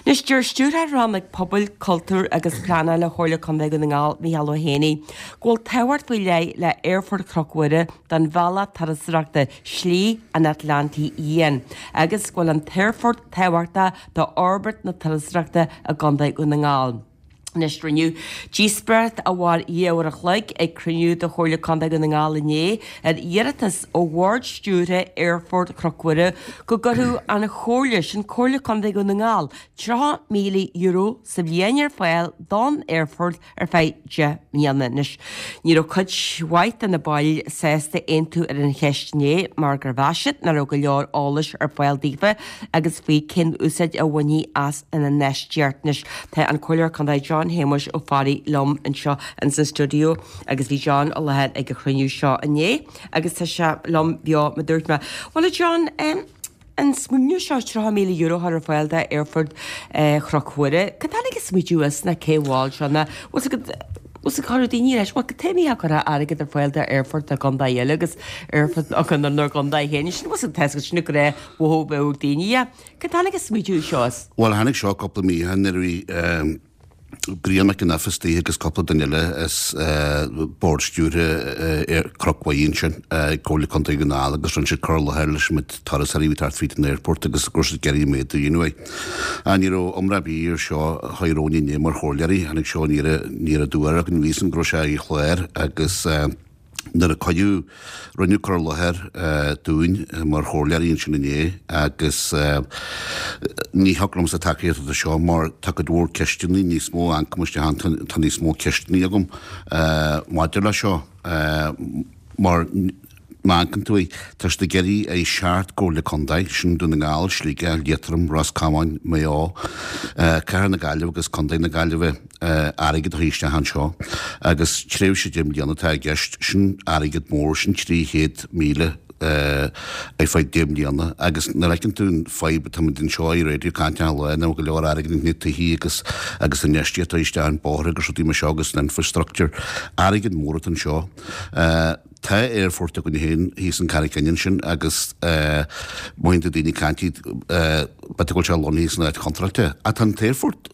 Anois, deir Stiúrthóir Rannóg Pobail, Cultúir agus Pleanála Chomhairle Contae Dhún na nGall, Micheál Ó hÉanaí, go bhfuil tábhacht faoi leith le Aerfort Chnoc Mhuire don bhealach turasóireachta Slí an Atlantaigh Fhiáin agus go bhfuil an t-aerfort tábhachtach d'fhorbairt na turasóireachta i gContae Dhún na nGall. Anois, rinneadh díospóireacht a mhair 2 uair a chloig ag cruinniú de Chomhairle Contae Dhún na nGall inné ar iarratas ó Bhord Stiúrtha Aerfort Chnoc Mhuire go gcuirfeadh an Chomhairle, sin Comhairle Contae Dhún na nGall, €30,000 sa bhliain ar fáil don aerfort ar feadh 10 mbliana. Anois, ní raibh cuid mhaith de na baill sásta aontú ar an cheist inné mar gur mheas siad nach raibh go leor eolais ar fáil daofa agus faoi cén úsáid a bhainfí as an infheistíocht. Anois tá an Comhairleoir Contae John Shéamuis Ó Fearraigh liom anseo ins an stiúideo agus bhí John i láthair ag an chruinniú seo inné agus tá sé liom beo mar dúirt mé. Bhuel a John, an smaoineamh seo €30,000 a chur ar fáil d'Aerfort Chnoc Mhuire, cá dtáinig an smaoitiú as ná cé mhol seo ná bhfuil 's agat Bhfuil 's agat chuirfeadh daoine leis, bhuel, cad chuige a gcuirfeá airgead ar fáil d'aerfort i gcontae eile agus aerfort againn inár gcontae féin. Sin, bhfuil 's agat, tá 's agat, sin an gnáthmhothú a bheadh ag daoine. Yeah. Cá dtáinig an smaoitiú seo as? Bhuel, tháinig seo cúpla mí ó shin nuair a bhí Brian Mac an Oifis istigh agus cúpla duine eile as Bord Stiúrtha Chnoc Mhuire ansin ag Comhairle Contae Dhún na nGall agus rinne siad cur i láthair leis an méid turasóirí a bhí ag teacht fríd an aerfort agus go raibh siad ag iarraidh méadú a dhéanamh air. Ach ní raibh iomrá ar bith ar seo a chuaigh romhainn inné mar chomhairleoirí. Tháinig seo aniar aduaidh orainn. Bhí a fhios againn go raibh sé ar an chlár agus nuair a cuireadh, rinneadh cur i láthair dúinn mar chomhairleoirí ansin inné agus ní thiocfadh liomsa tacaíocht a thabhairt do seo mar tá cuid mhór ceisteanna, níos mó a amharcaim isteach ann, tá níos mó ceisteanna agam maidir leis seo mar Má amharcann tú air, tá siad ag iarraidh ar sheacht gcomhairle contae, sin Dún na nGall, Sligeach, Liatroim, Ros Comáin, Maigh Eo, Cathair na Gaillimhe agus Contae na Gaillimhe, airgead a chur isteach anseo. Agus tréimhse deich mbliana atá i gceist. Sin airgead mór, sin 300,000 ar feadh deich mbliana. Agus nuair a fheiceann tú an fadhb atá muid anseo ar raidió ag caint achan lá, nach bhfuil go leor airgid ins na tithe agus agus infheistíocht a chur isteach in bóithre agus rudaí mar seo agus an infrastructure, airgead mór atá anseo. Tá aerfort againn féin thíos in Carraig Fhinn ansin agus mothaíonn tú daoine ag caint b'fhéidir go bhfuil sé lonnaithe san áit chontráilte. Ach tá an t-aerfort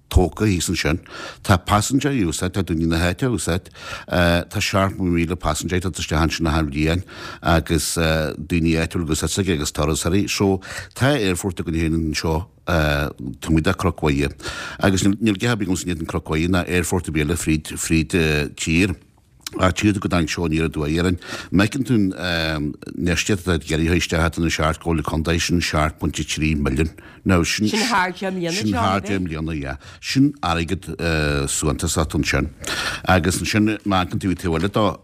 tógtha thíos ansin. Tá paisinéirí á úsáid, tá daoine na háite á úsáid. Tá 70,000 paisinéir ag teacht isteach ansin achan bhliain agus daoine áitiúla agus is agus turasóirí. So tá aerfort againn féin anseo taobh amuigh de Chnoc Mhuire. Agus níl a dhath ar bith agamsa in éadan Cnoc Mhuire ná aerfort ar bith eile fríd fríd tír. Ach tchíonn tú go dtáinig seo aniar aduaidh orainn. Má fheiceann tú an infheistíocht atá ag iarraidh a chur isteach do na seacht gcomhairle contae, sin 7.3 milliún. Now sin. Sin thar deich mbliana, Sin thar deich mbliana, yeah. Sin airgead suntasach ansin. Agus ansin má amharcann tú taobh eile dó,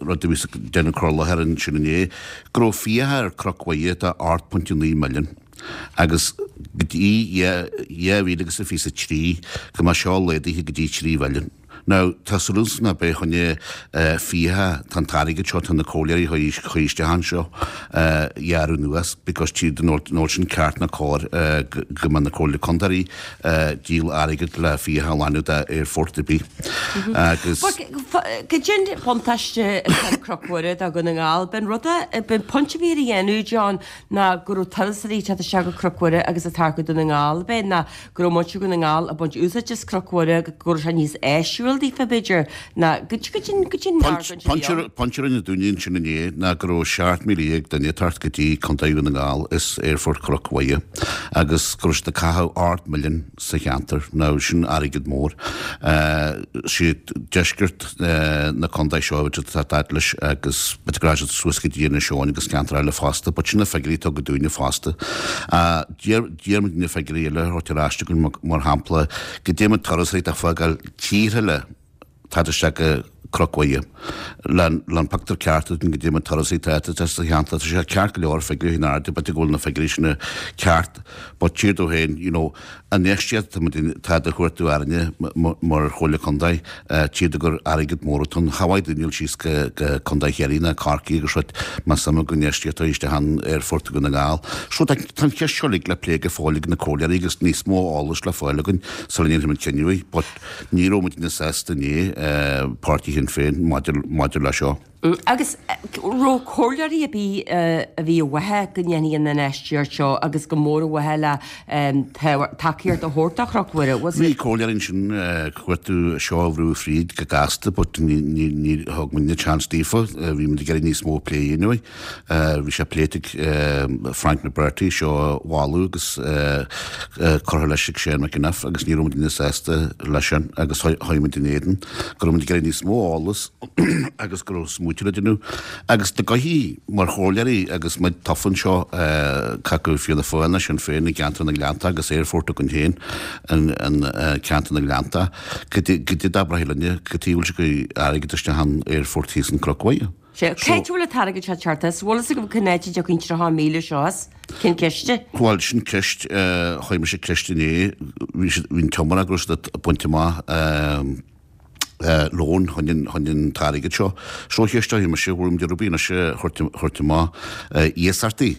rud a bhí ag déanamh cur i láthair ansin inné, go raibh fiacha ar Chnoc Mhuire de 8.9 milliún. Agus go dtí 2023 go mbeadh seo laghdaithe go dtí 3 mhilliún. Now, tá súil agamsa nach b'é fá choinne fiacha tá an t-airgead seo, tá na comhairleoirí a chur isteach anseo a ghearradh anuas because tchíd níl sin ceart ná cóir go mbeadh na comhairle contae ag díol airgead le fiacha a ghlanadh d'aerfort ar bith. Agus. Cad é an buntáiste atá ag Cnoc Mhuire do Dhún na nGall? B'in rud a, b'in pointe a bhí á dhéanamh, John, ná go raibh turasóirí ag teacht isteach go Cnoc Mhuire agus ag teacht go Dún na nGall, b'é ná go raibh muintir Dhún na nGall ag baint úsáid as Cnoc Mhuire, go raibh sé níos áisiúil daofa, b'fhéidir, ná go dtí an argóint a bhí ann. Pointe a rinne daoine ansin inné ná go raibh 17,000 duine ag teacht go dtí Contae Dhún na nGall as Aerfort Chnoc Mhuire agus go raibh siad ag caitheamh 8 milliún sa cheantar. Now sin airgead mór. Siad deisceart na contae seo a bhí siad ag teacht leis agus b'fhéidir go raibh siad suas go dtí Inis Eoghain agus ceantar eile fosta but sin na figiúirí a tugadh dúinne fosta. D'iarr muid na figiúirí eile a thabhairt ar ais chugainn, mar shampla, goidé méid turasóirí atá ag fágáil tíortha eile ag teacht isteach go Cnoc Mhuire. Le an pictiúr ceart a fháil goidé méid turasóirí atá ag teacht sa cheantar, tá sé ceart go leor figiúirí in airde, b'fhéidir go bhfuil na figiúirí sin ceart, but tchíthear domh féin, you know, an infheistíocht atá muid atá á thabhairt orainne mar Chomhairle Contae, tchíthear domh gur airgead mór atá ann. Cha mhaith daoine dul síos go Contae Chiarraí ná Corcaigh agus rud más suim acu infheistíocht a chur isteach in Aerfort Dhún na nGall. So tá an cheist seo uilig le plé go fóill ag na comhairleoirí agus níos mó eolais le fáil againn sula ndéanfaidh muid cinneadh. But ní raibh muidne sásta inné, Páirtí Shinn Féin, maidir le seo. Agus raibh comhairleoirí ar bith a bhí i bhfábhar go ndéanfaí an infheistíocht seo agus go mór i bhfábhar le tacaíocht a thabhairt do Chnoc Mhuire? Was it? Bhí comhairleoirí ansin ag cuartú seo a bhrú fríd go gasta but ní thug muidne chance daofa. Bhí muid ag iarraidh níos mó plé a dhéanamh. Bhí sé pléite ag Frank McBrearty seo a mholadh agus curtha leis ag Shane McEniff agus ní raibh muidne sásta leis sin agus chuaigh muid in éadan go raibh muid ag iarraidh níos mó eolas agus go raibh smaoitiú le déanamh agus na gothaí mar chomhairleoirí agus muid tofa anseo cé acu Fianna Fáil nó Sinn Féin i gceantar na nGleannta agus aerfort againn féin in ceantar na nGleannta cad é d'abraithí linne cad chuige a bhfuil sibh ag cur airgead isteach in aerfort thíos in Cnoc Mhuire. Sea, cá háit a bhfuil an t-airgead seo ag teacht as? Bhfuil fhios agaibh cén áit a dtiocfaidh an 30,000 seo as? Cén ciste? Bhuel, sin ceist, chuir mise ceist inné, bhí siad, bhí an t-iomrá go raibh siad ag baint amach loan chun an t-airgead seo. So cheist a chuir mise, bhfuil muid ag iarraidh anois a thabhairt amach iasachtaí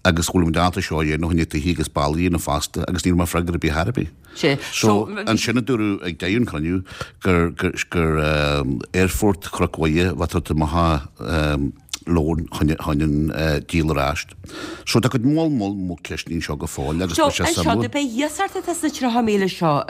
agus bhfuil muid ábalta seo a dhéanamh chun tithe agus ballaí a dhéanamh fosta agus ní raibh mé freagra ar bith ar bith. Sea. So, ansin a dúradh ag deireadh an chruinniú gur gur aerfort Chnoc Mhuire a bheadh tabhairt amach loan chun an díol ar ais. So tá cuid mhór mhór mhór ceisteanna anseo go fóill agus So, tá sé anseo, suimiúil. do b'é iasacht atá sna 30,000 seo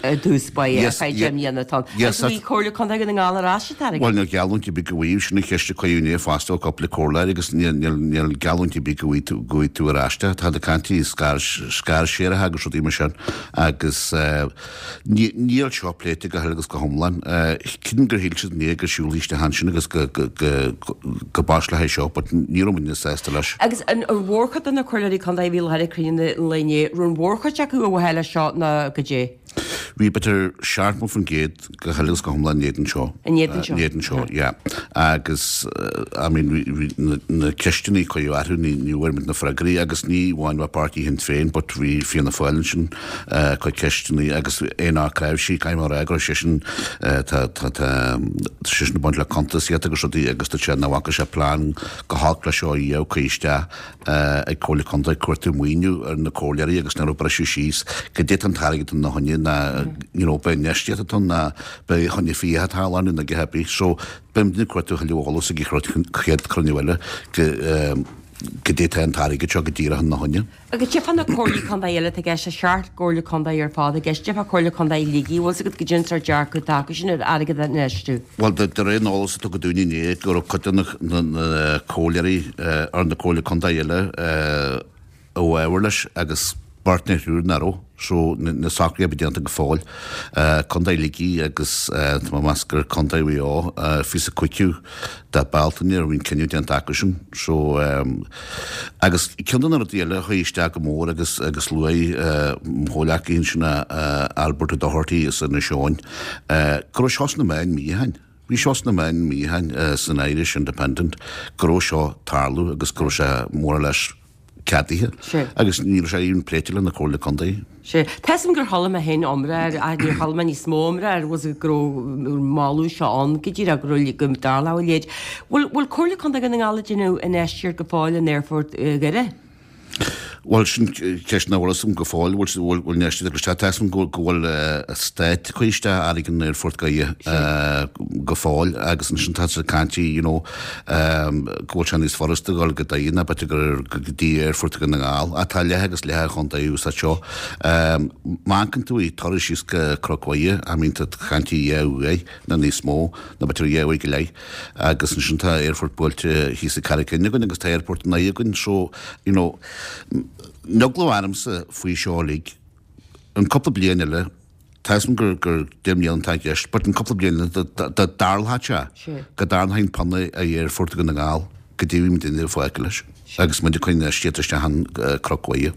i dtús báire ar feadh 10 mbliana atá ann. Agus bhí Comhairle Contae Dhún na nGall ar ais an t-airgead. Bhuel, níl geallúint ar bith go bhfaighidh, sin an cheist a cuireadh inné fosta ó cúpla comhairleoir agus níl geallúint ar bith go bhfaighidh tú ar ais é. Tá na caintí scairséirithe agus rudaí mar sin agus Níl seo pléite go huile agus go hiomlán. Creidim gur shíl siad inné go siúlfaí isteach ansin agus go bpasálfaí seo but ní raibh muidne sásta leis. Agus an mhórchuid de na comhairleoirí contae a bhí i láthair ag cruinniú an lae inné, raibh an mhórchuid acu i bhfábhar leis seo nó goidé? Bhí b'fhéidir 70% go huile agus go hiomlán in éadan seo. In éadan seo? In éadan seo, yeah. Agus, I mean, bhí na ceisteanna a cuireadh orthu, ní bhfuair muid na freagraí agus ní amháin bheith páirtí Shinn Féin but bhí Fianna Fáil ansin ag cur ceisteanna agus Aonach Creabhsí, caithfidh mé a rá go raibh seisean, tá, tá, tá seisean ag baint le cuntasaíocht agus rudaí agus dúirt sé nach bhfaca sé plean go holc leis seo a dhéanamh, cur isteach ag Comhairle Contae ag cuartú maoiniú ar na comhairleoirí agus nach raibh briseadh síos goidé tá an t-airgead ina choinne ná you know b'é infheistíocht atá ann ná b'é choinne fiacha atá á lánú nó a dhath ar bith. So beidh muid ag cuartú a thuilleadh eolas ag an chéad chruinniú eile goidé tá an t-airgead seo go díreach ina choinne. Agus goidé fá na comhairlí contae eile atá i gceist, tá seacht gcomhairle contae ar fad i gceist, goidé fá Comhairle Contae Shligigh, bhfuil 's agat goidé an sórt dearcadh atá acu sin ar airgead a infheistiú? Bhuel, de réir an eolais a tugadh dúinn inné, go raibh cuid de na comhairleoirí ar na comhairle contae eile i bhfabhar leis agus beirt nó thriúr nach raibh. So, na socruithe a bheith déanta go fóill. Contae Shligigh agus tá mé ag meas gur Contae Mhaigh Eo, fiche is cúigiú de Bealtaine a bhí an cinneadh déanta acusan. So, agus ceann de na rudaí eile a chuaigh isteach go mór agus agus luaigh mo chomhghleacaithe ansin Albert Ó Dochartaigh as Inis Eoghain, go raibh seo sna meáin mí ó shin. Bhí seo sna meáin mí ó shin san Irish Independent go raibh seo ag tarlú agus go raibh sé more or less ceadaithe agus ní raibh sé even pléite le na Comhairle Contae. Sea. Tá 'fhios a'm gur chuala mé féin iomrá air ach níor chuala mé níos mó iomrá air was go raibh an moladh seo ann go díreach go raibh go dtarlódh a leithéid. Bhfuil bhfuil Comhairle Contae Dhún na nGall ag déanamh infheistíocht go fóill in Aerfort Dhoire? Bhuel, sin ceist nach bhfuil 'fhios a'm go fóill, bhfuil bhfuil infheistíocht ag isteach. Tá 'fhios a'm go bhfuil an stát ag cur isteach airgead in Aerfort Dhoire go fóill agus ansin tá siad ag caint you know, go bhfuil sé níos furasta dul go Doire ná b'fhéidir gur go dtí Aerfort Dhún na nGall. Ach tá leath agus leath an chontae ag úsáid seo. Má amharcann tú ag turas síos go Cnoc Mhuire, I mean tá caint ar dhá uair nó níos mó, nó b'fhéidir dhá uair go leith. Agus ansin tá aerfort buailte thíos i Carraig Fhinn againn agus tá aerfort i nDoire againn so, you know, an eagla ormsa faoi seo uilig, an cúpla bliain eile, Tá 'fhios a'm gur gur 10 mbliana atá i gceist, but an cúpla bliain eile dá dtarlódh sé go dtarraingeofaí an pionna ar Aerfort Dhún na nGall goidé a bhí muidinne fágtha leis agus muid ag cur infheistíocht isteach in Cnoc Mhuire.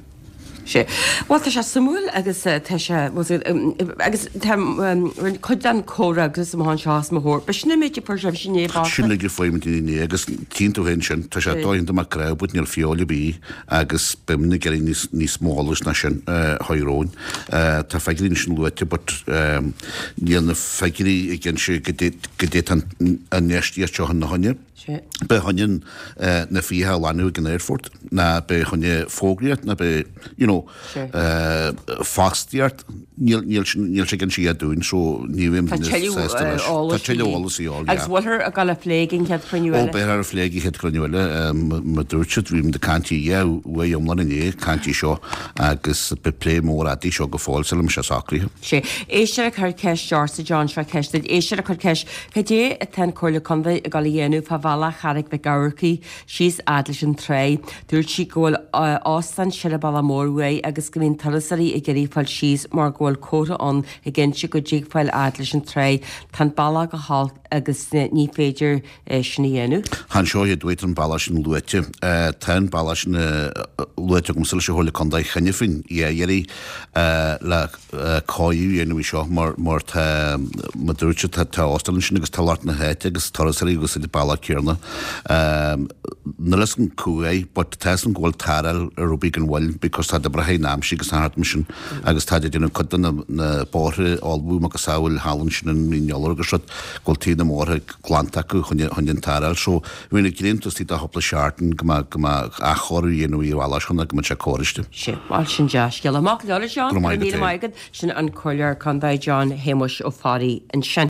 Sea. Bhuel, tá sé suimiúil agus tá sé, agus tá cuid den chomhfhreagras amach anseo os mo chomhair. B'shin an méid a fuair sibhse inné fosta. Sin uilig a fuair muid inné agus tchíonn tú féin sin, tá sé dodhéanta mar crowd but níl feoil ar bith agus beidh muid ag iarraidh níos níos mó eolais ná sin a chur romhainn. Tá figiúirí ansin luaite but níl na figiúirí ag inse goidé goidé tá an infheistíocht seo ina choinne. B'é choinne na fiacha a ghlanadh ag an aerfort ná b'é choinne fógraíocht ná b'é you know. know, fostaíocht, níl, níl, níl sé ag inse a dhath dúinn, so ní bhím Tá tuilleadh sásta leis. eolais Tá tuilleadh eolais a dhíobháil, Agus yeah. bhfuilthear ag dul a phlé ag an chéad chruinniú Ó, eile? beifear á phlé ag an chéad chruinniú eile, mar dúirt siad, bhí muid ag caint yeah, uair iomlán inné, ag caint faoi seo agus beidh plé mór fhada seo go fóill sula mbeidh sé socraithe. Sé. Éisteoir ag cur ceist ortsa, John, seo ceist duit. Éisteoir ag cur ceist, cad é atá an Comhairle Contae ag dul a dhéanamh fá bhealach Charraig Mhic Eamharcaigh síos fhad leis an tráigh? Dúirt sí go bhfuil óstán ar an bealach mór uaidh agus go mbíonn turasóirí ag iarraidh fáil síos mar go bhfuil comhartha ann ag inse go dtig fáil fhad leis an tráigh. Tá an bealach go holc agus ní féidir é sin a dhéanamh. Chan seo é dúirt an bealach sin luaite. Tá an bealach sin luaite agamsa leis an Chomhairle Contae cheana féin, yeah, iarraidh le cóiriú a dhéanamh air seo mar mar tá, mar dúirt siad, tá tá óstán ansin agus tá lucht na háite agus turasóirí ag úsáid an bealach céanna. Níl a fhios agam cá huair but tá fhios agam go bhfuil tarrtháil ar obair gan mhoill because tá oibreacha in aimsir agus thart mar sin agus tá ag déanamh cuid de na na bóithre a ullmhú macasamhail thall ansin in Mín Iolar agus rud go bhfuil taobh na mbóithre glanta acu chun chun an tarrtháil so bhí na grianta istigh do chúpla seachtain go mbeadh go mbeadh athchóiriú a dhéanamh ar an bhealach seo go mbeadh sé cóiriste. Sin, bhuel, sin dea-scéala. Maith go leor, a John. Go raibh maith agat. Sin an Comhairleoir Contae John Shéamuis Ó Fearraigh ansin.